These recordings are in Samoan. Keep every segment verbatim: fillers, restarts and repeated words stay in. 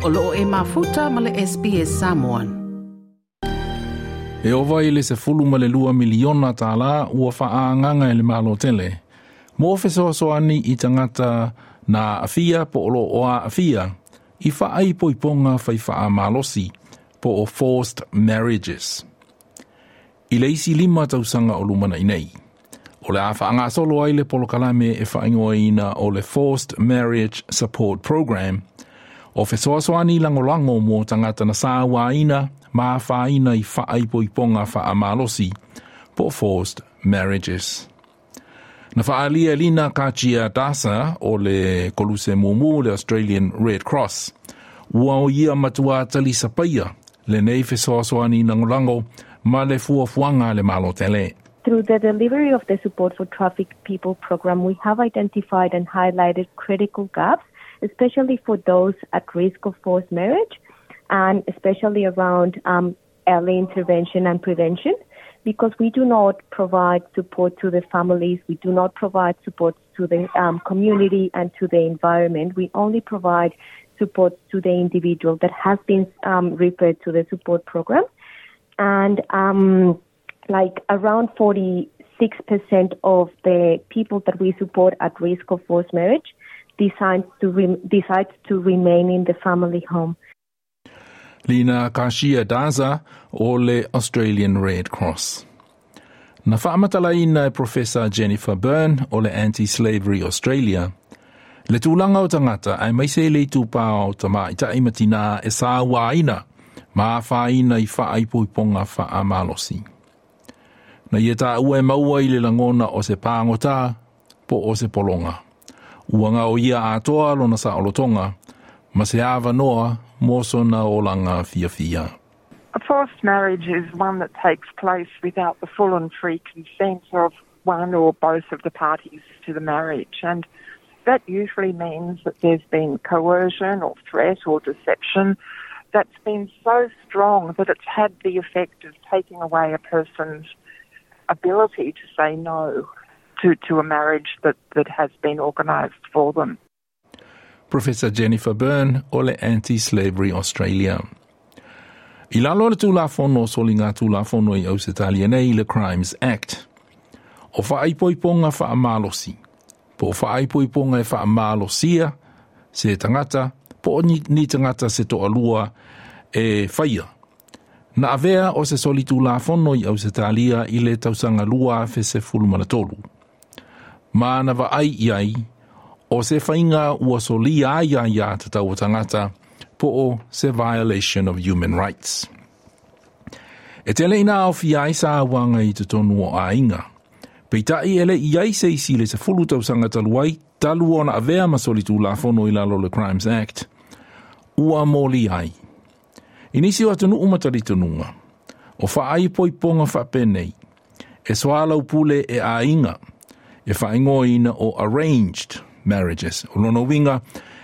O loo e mafuta ma le S B S Samoan. E ova i le sefulu ma le lua miliona tālā ua whaanganga e le malo tele. Mō fesoasoani i tangata nā afia po o lo oa afia i whaai poiponga whai whaa malosi po o forced marriages. I le isi lima tausanga o lumana i nei. O le a whaangasolo ai le polokalame e whaingoaina o le Forced Marriage Support Program o fesoasoani langolango mō tangata na sāwāina mā whāina i whaaipoiponga whaamalosi po forced marriages. Na whaalia lina Kachia Dasa o le Koluse Mumu le Australian Red Cross. Ua o ia matua talisa paia le nei fesoasoani langolango ma le fuafuanga le malo tele. Through the delivery of the Support for Trafficked People program, we have identified and highlighted critical gaps, especially for those at risk of forced marriage, and especially around, um, early intervention and prevention, because we do not provide support to the families, we do not provide support to the, um, community and to the environment. We only provide support to the individual that has been, um, referred to the support program. And, um, like around forty-six percent of the people that we support at risk of forced marriage decides to re- decides to remain in the family home. Lina Kashia Daza o le Australian Red Cross. Na whaamatalaina e Professor Jennifer Byrne o le Anti-Slavery Australia. Le tūlanga o tangata ai maise le tūpā o tamaitai matina e sāwāina, mā whāina i whaaipoiponga whaamalosi. Na ia tā ua e maua i le langona o se pāngotā, po o se polonga. Ua ngā o ia atoa lona sa olotonga, ma se ava noa mō sona olanga fia fia. A forced marriage is one that takes place without the full and free consent of one or both of the parties to the marriage. And that usually means that there's been coercion or threat or deception that's been so strong that it's had the effect of taking away a person's ability to say no to, to a marriage that, that has been organised for them. Professor Jennifer Byrne o le Anti-Slavery Australia. I lalo le tūlafono soli ngā tūlafono i Ausitalia nei le Crimes Act. O whaaipoiponga whaamalosi. Po whaaipoiponga e whaamalosia se tangata, po ni, ni tangata se toalua e whaia. Na avea o se soli tūlafono i Ausitalia i le tausanga lua fe se fulumana tolu. Ma na vaai iai, o se whainga ua soli ai ai a te tau tangata, po o se violation of human rights. E tele ina au fia ai sa wanga i te tonu o ainga. Peitai ele i ai se isi le se fulu tausanga taluai, talu ona avea ma soli tūlafono i lalo le Crimes Act, ua moli ai. Inisi o atunu umataritonunga, o whaai poiponga whapenei, e swala upule e ainga, e whaingoina o arranged marriages. O lono winga,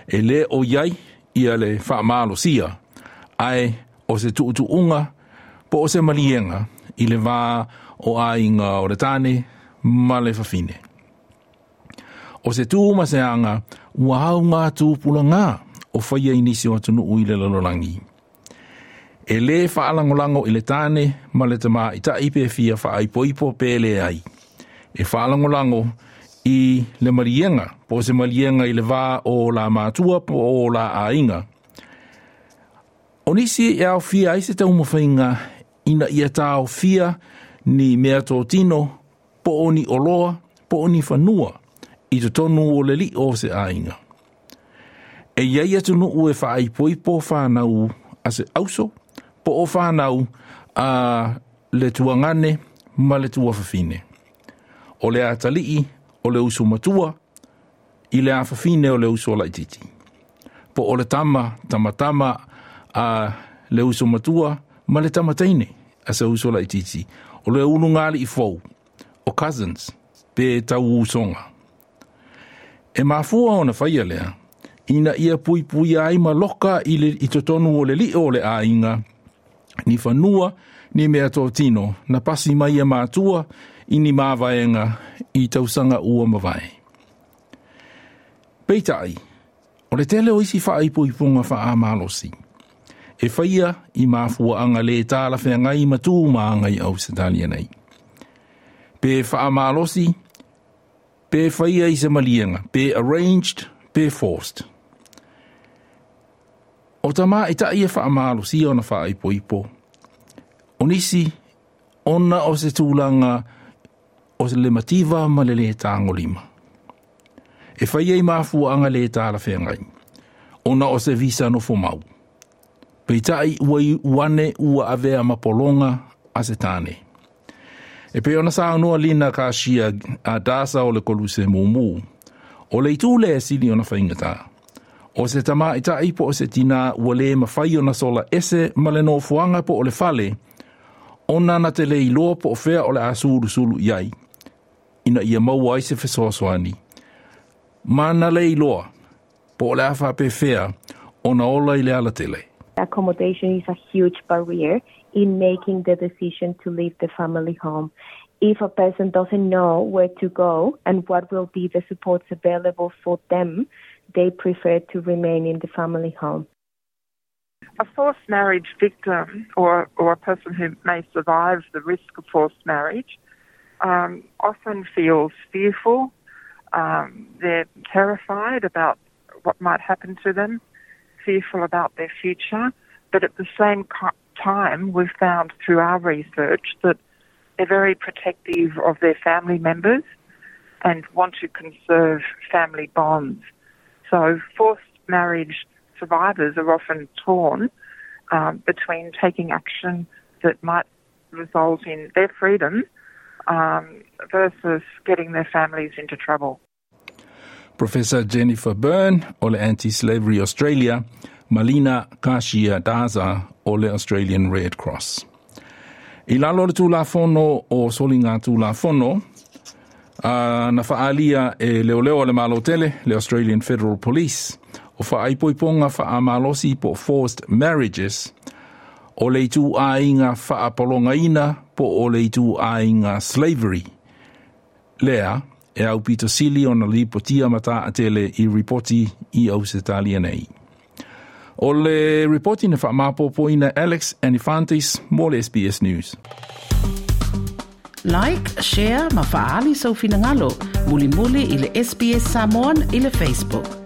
e le o iai, ia le whaamalosia, ai o se tuutuunga, po o se malienga, i le vā o ainga o le tāne, ma le whawhine. O se tū ma se anga, ua hau ngā tūpula ngā, o whaia inisi o atunu ui le lalolangi. E le whaalangolango i le tāne, ma le tama i ta ipe fia whaaipoipo pele ai. E whaalangolango i le marienga, po se marienga i le vā o la mātua po o la ainga. O nisi e au fia ai se taumawhainga ina ia tāo fia ni mea tō tino, po o ni oloa, po o ni whanua, i te tonu o le li o se ainga. E iai atu nuu e whaaipoipo whanau a se auso, po o whanau a le tuangane ma le tuawhawhine. O le atalii o le usu matua, i le awhawhine o le usu o laititi. Po o le tama, tamatama a le usu matua, ma le tamateine a se usu o laititi. O le ulu ngali i fou, o cousins, pe tau usonga. E mafua ona whaia lea, ina ia pui pui ai ma loka i, le, i totonu o le li o le ainga, ni whanua, ni mea tō tino, na pasi mai e mātua, i ni māwaenga, i tausanga ua mawai. Peitai, O le tele o isi faaipoipoga faamalosi e faia i mafuaaga lē talafeagai ma tu ma aga i Ausetalia nei. Pe faamalosi, pe faia i se maliega, pe arranged, pe forced. O tamaitaʻi e faamalosia ona faaipoipo. O nisi, ona o se tulaga o le mativa ma le lē tagolima. E faia i mafuaaga lē talafeagai, ona o se visa nofomau. Peitai ua iu ane ua avea ma pologa a se tane. E pei ona saunoa Lina Kasia a Dasa o le Koluse Mumu, o le itu lea e sili ona faigata. O se tamaitaʻi po o se tinā ua lē mafai ona sola ese ma le nofoaga po o le fale, ona na te le iloa po o fea o le a sulusulu i ai, ina ia maua ai se fesoasoani. Ma na le iloa, po o le a faapefea ona ola i le alatele. Accommodation is a huge barrier in making the decision to leave the family home. If a person doesn't know where to go and what will be the supports available for them, they prefer to remain in the family home. A forced marriage victim or, or a person who may survive the risk of forced marriage um, often feels fearful. Um, they're terrified about what might happen to them, fearful about their future. But at the same time, we've found through our research that they're very protective of their family members and want to conserve family bonds. So forced marriage survivors are often torn um, between taking action that might result in their freedom um, versus getting their families into trouble. Professor Jennifer Byrne o le Anti-Slavery Australia, ma Lina Kashia Daza o le Australian Red Cross. I lalo o le Tulafono o Soligatulafono, uh, na faaalia e leoleo a le Malo tele, le Australian Federal Police, o faaipoipoga faamalosi po forced marriages, o le ituaiga faapologaina po o le ituaiga slavery. Lea, e aupito sili ona lipotia ma taatele i ripoti i Ausetalia nei. O le ripoti na faamapopoina Alex Anifantis mo le S B S News. Like, share ma faaali sou finagalo. Mulimuli i le S B S Samoan i le Facebook.